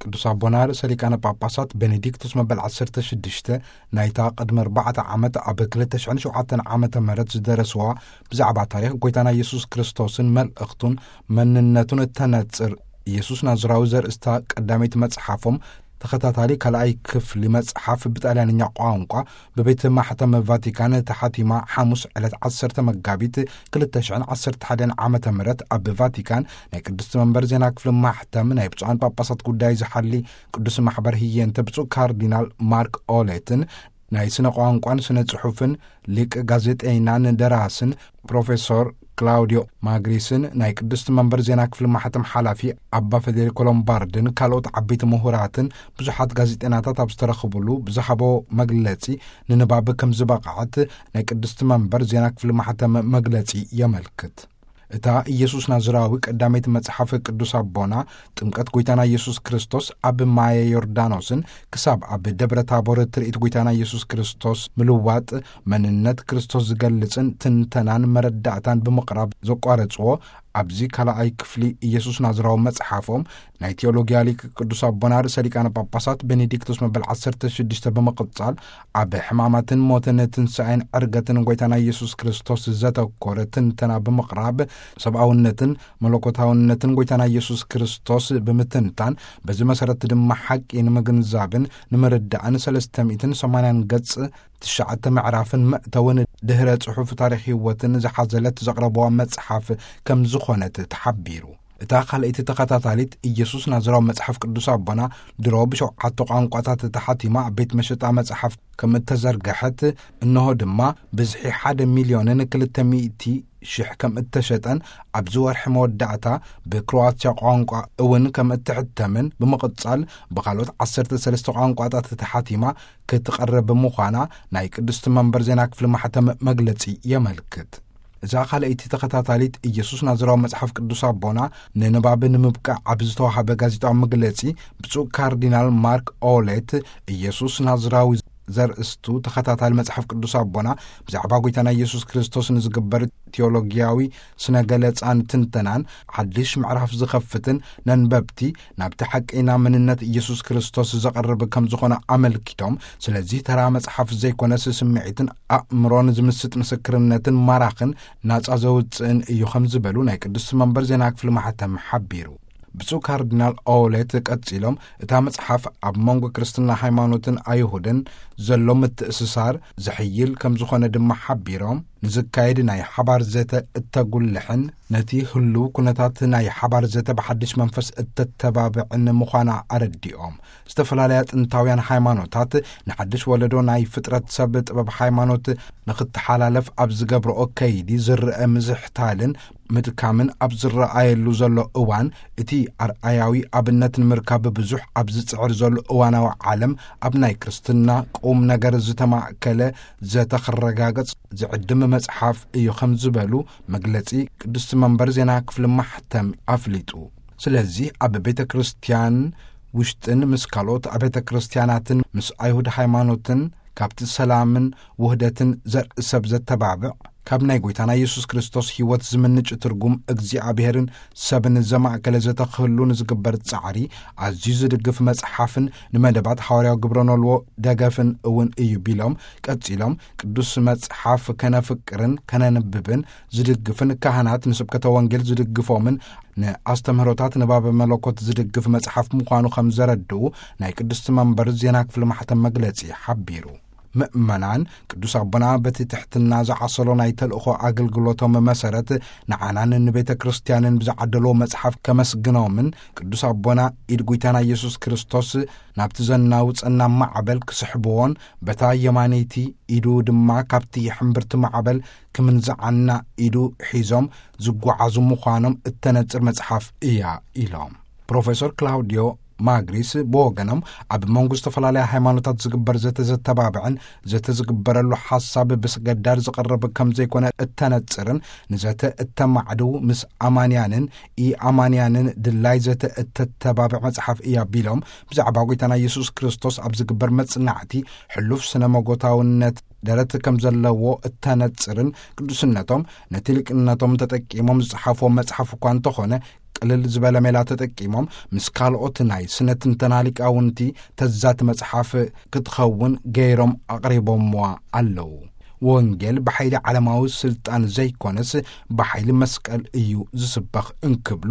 ቅዱስ ኣቦና ርእሰ ሊቃነ ጳጳሳት ቤኔዲክቶስ መበል ዓሰርተ ሽዱሽተ ናይታ ቅድሚ ኣርባዕተ ዓመት ኣብ ክልተ ሽሕን ሸውዓተን ዓመተ ምህረት ዝደረስዋ ብዛዕባ ታሪኽ ጐይታና ኢየሱስ ክርስቶስን መልእኽቱን መንነቱን እተነጽር ኢየሱስ ናዝራዊ ዘርእስታ ቀዳመይቲ መጽሓፎም ተኸታታሊ ካልኣይ ክፍሊ መጽሓፍ ብጣልያንኛ ቋንቋ ብቤተ ማሕተም ቫቲካን ተሓቲማ ሓሙስ ዕለት ዓሰርተ መጋቢት ክልተ ሽሕን ዓሰርተ ሓደን ዓመተ ምህረት ኣብ ቫቲካን ናይ ቅድስቲ መንበር ዜና ክፍሊ ማሕተም ናይ ብፁዓን ጳጳሳት ጉዳይ ዝሓሊ ቅዱስ ማሕበር ህየንተ ብፁዕ ካርዲናል ማርክ ኦሌትን ናይ ስነ ቋንቋን ስነ ጽሑፍን ሊቅ ጋዜጠይናን ደራስን ፕሮፌሶር ክላውዲዮ ማግሪስን ናይ ቅድስቲ መንበር ዜና ክፍሊ ማሕተም ሓላፊ ኣባ ፌዴሪኮ ሎምባርድን ካልኦት ዓበይቲ ምሁራትን ብዙሓት ጋዜጠይናታት ኣብ ዝተረኽብሉ ብዝሃቦ መግለጺ ንንባብ ከም ዝበቕዐት ናይ ቅድስቲ መንበር ዜና ክፍሊ ማሕተም መግለጺ የመልክት። እታ ኢየሱስ ናዝራዊ ቀዳመይቲ መጽሓፍ ቅዱስ ኣቦና ጥምቀት ጐይታና ኢየሱስ ክርስቶስ ኣብ ማየ ዮርዳኖስን ክሳብ ኣብ ደብረ ታቦር ትርኢት ጐይታና ኢየሱስ ክርስቶስ ምልዋጥ መንነት ክርስቶስ ዝገልጽን ትንተናን መረዳእታን ብምቕራብ ዘቋረጽዎ ኣብዚ ካልኣይ ክፍሊ ኢየሱስ ናዝራዊ መጽሓፎም ናይ ቴዎሎጊያ ሊቅ ቅዱስ ኣቦና ርእሰ ሊቃነ ጳጳሳት ቤኔዲክቶስ መበል ዓሰርተ ሽዱሽተ ብምቕጻል ኣብ ሕማማትን ሞትን ትንሳኤን ዕርገትን ጐይታና ኢየሱስ ክርስቶስ ዘተኮረ ትንተና ብምቕራብ ሰብኣውነትን መለኮታውነትን ጐይታና ኢየሱስ ክርስቶስ ብምትንታን በዚ መሰረት ድማ ሓቂ ንምግንዛብን ንምርዳእን ሰለስተ ሚእትን ሰማንያን ገጽ ትሽዓተ ምዕራፍን መእተውን ድህረ ጽሑፍ ታሪኽ ህይወትን ዝሓዘለት ዘቕረብዋ መጽሓፍ ከም ዝኾነት ተሓቢሩ። እታ ካልኣይቲ ተኸታታሊት ኢየሱስ ናዝራዊ መጽሓፍ ቅዱስ ኣቦና ድሮ ብሸውዓተ ቋንቋታት ተሓቲማ ኣብ ቤት መሸጣ መጽሓፍ ከም እተዘርግሐት፣ እንሆ ድማ ብዝሒ ሓደ ሚልዮንን ክልተ ሚእቲ ሽሕ ከም እተሸጠን ኣብዚ ወርሒ መወዳእታ ብክሮዋትያ ቋንቋ እውን ከም እትሕተምን ብምቕጻል ብኻልኦት ዓሰርተ ሰለስተ ቋንቋታት ተሓቲማ ክትቐርብ ምዃና ናይ ቅድስቲ መንበር ዜና ክፍሊ ማሕተም መግለጺ የመልክት። እዛ ካልኣይቲ ተኸታታሊት ኢየሱስ ናዝራዊ መጽሓፍ ቅዱስ ኣቦና ንንባብ ንምብቃዕ ኣብ ዝተዋህበ ጋዜጣዊ መግለጺ ብፁዕ ካርዲናል ማርክ ኦሌት ኢየሱስ ናዝራዊ ዘርእስቱ ተኸታታሊ መጽሓፍ ቅዱስ ኣቦና ብዛዕባ ጐይታና ኢየሱስ ክርስቶስ ንዝግበር ቴዎሎጊያዊ ስነ ገለጻን ትንተናን ሓድሽ ምዕራፍ ዝኸፍትን ነንበብቲ ናብቲ ሓቀይና መንነት ኢየሱስ ክርስቶስ ዘቐርብ ከም ዝኾነ ኣመልኪቶም፣ ስለዚ ተራ መጽሓፍ ዘይኮነስ ስምዒትን ኣእምሮን ዝምስጥ ምስክርነትን ማራኽን ናጻ ዘውጽእን እዩ ከም ዝበሉ ናይ ቅድስቲ መንበር ዜና ክፍሊ ማሕተም ሓቢሩ። ብፁዕ ካርዲናል ኦሌት ቀጺሎም፣ እታ መጽሓፍ ኣብ መንጎ ክርስትና ሃይማኖትን ኣይሁድን ዘሎ ምትእስሳር ዘሕይል ከም ዝኾነ ድማ ሓቢሮም፣ ንዝካየድ ናይ ሓባር ዘተ እተጉልሕን ነቲ ህሉው ኩነታት ናይ ሓባር ዘተ ብሓድሽ መንፈስ እተተባብዕን ምዃና ኣረዲኦም። ዝተፈላለያ ጥንታውያን ሃይማኖታት ንሓድሽ ወለዶ ናይ ፍጥረት ሰብ ጥበብ ሃይማኖት ንኽተሓላለፍ ኣብ ዝገብርኦ ከይዲ ዝረአ ምዝሕታልን ምድካምን ኣብ ዝረኣየሉ ዘሎ እዋን፣ እቲ ኣርኣያዊ ኣብነት ንምርካብ ብዙሕ ኣብ ዝጽዕር ዘሎ እዋናዊ ዓለም፣ ኣብ ናይ ክርስትና ቁም ነገር ዝተማእከለ ዘተ ክረጋገጽ ዝዕድም መጽሓፍ እዩ ከም ዝበሉ መግለጺ ቅድስቲ መንበር ዜና ክፍሊ ማሕተም ኣፍሊጡ። ስለዚ ኣብ ቤተ ክርስቲያን ውሽጥን ምስ ካልኦት ኣብያተ ክርስቲያናትን ምስ ኣይሁድ ሃይማኖትን ካብቲ ሰላምን ውህደትን ዘርኢ ሰብ ዘተባብዕ፣ ካብ ናይ ጐይታና ኢየሱስ ክርስቶስ ሕይወት ዝምንጭ ትርጉም እግዚኣብሔርን ሰብን ዘማእከለ ዘተ ክህሉ ንዝግበር ጻዕሪ ኣዝዩ ዝድግፍ መጽሓፍን ንመደባት ሃዋርያዊ ግብረ ኖልዎ ደገፍን እውን እዩ ቢሎም፣ ቀጺሎም ቅዱስ መጽሓፍ ከነፍቅርን ከነንብብን ዝድግፍን ካህናት ንስብከተ ወንጌል ዝድግፎምን ንኣስተምህሮታት ንባበ መለኮት ዝድግፍ መጽሓፍ ምዃኑ ከም ዘረድኡ ናይ ቅድስቲ መንበር ዜና ክፍሊ ማሕተም መግለጺ ሓቢሩ። ምእመናን ቅዱስ ኣቦና በቲ ትሕትና ዝዓሰሎ ናይ ተልእኾ ኣገልግሎቶም መሰረት ንዓናን ንቤተ ክርስቲያንን ብዝዓደልዎ መጽሓፍ ከመስግኖምን ቅዱስ ኣቦና ኢድ ጐይታና ኢየሱስ ክርስቶስ ናብቲ ዘናውጸና ማዕበል ክስሕብዎን በታ የማነይቲ ኢዱ ድማ ካብቲ ሕምብርቲ ማዕበል ክምንዝዓና ኢዱ ሒዞም ዝጓዓዙ ምዃኖም እተነጽር መጽሓፍ እያ ኢሎም። ፕሮፌሰር ክላውዲዮ ማግሪስ ብወገኖም ኣብ መንጎ ዝተፈላለያ ሃይማኖታት ዝግበር ዘተ ዘተባብዕን ዘተ ዝግበረሉ ሓሳብ ብስገዳድ ዝቐርብ ከም ዘይኮነ እተነጽርን ንዘተ እተማዕድው ምስ ኣማንያንን ኢኣማንያንን ድላይ ዘተ እተተባብዕ መጽሓፍ እያ ቢሎም ብዛዕባ ጐይታና ኢየሱስ ክርስቶስ ኣብ ዝግበር መጽናዕቲ ሕሉፍ ስነ መጎታውነት ደረት ከም ዘለዎ እተነጽርን ቅዱስነቶም ነቲ ሊቅነቶም ተጠቂሞም ዝጸሓፍዎ መጽሓፍ እኳ እንተኾነ ቅልል ዝበለ ሜላ ተጠቂሞም ምስ ካልኦት ናይ ስነ ትንተና ሊቃውንቲ ተዛቲ መጽሓፍ ክትኸውን ገይሮም ኣቕሪቦምዋ ኣለዉ። ወንጌል ብሓይሊ ዓለማዊ ስልጣን ዘይኮነስ ብሓይሊ መስቀል እዩ ዝስበኽ እንክብሉ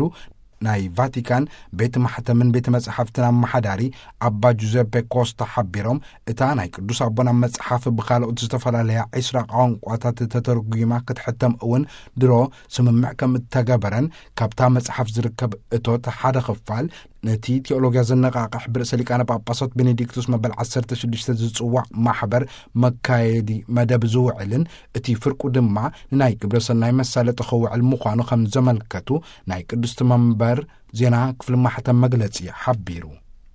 ናይ ቫቲካን ቤት ማሕተምን ቤት መጻሕፍትን ኣመሓዳሪ ኣባ ጁዘፔ ኮስታ ሓቢሮም፣ እታ ናይ ቅዱስ ኣቦና መጽሓፍ ብኻልኦት ዝተፈላለያ ዒስራ ቋንቋታት ተተርጒማ ክትሕተም እውን ድሮ ስምምዕ ከም እተገበረን ካብታ መጽሓፍ ዝርከብ እቶት ሓደ ክፋል ነቲ ቴዎሎጊያ ዘነቓቕሕ ብርእሰ ሊቃነ ጳጳሳት ቤኔዲክቱስ መበል ዓሰርተ ሽዱሽተ ዝጽዋዕ ማሕበር መካየዲ መደብ ዝውዕልን እቲ ፍርቁ ድማ ንናይ ግብረ ሰናይ መሳለጢ ክውዕል ምዃኑ ከም ዘመልከቱ ናይ ቅድስቲ መንበር ዜና ክፍሊ ማሕተም መግለጺ ሓቢሩ።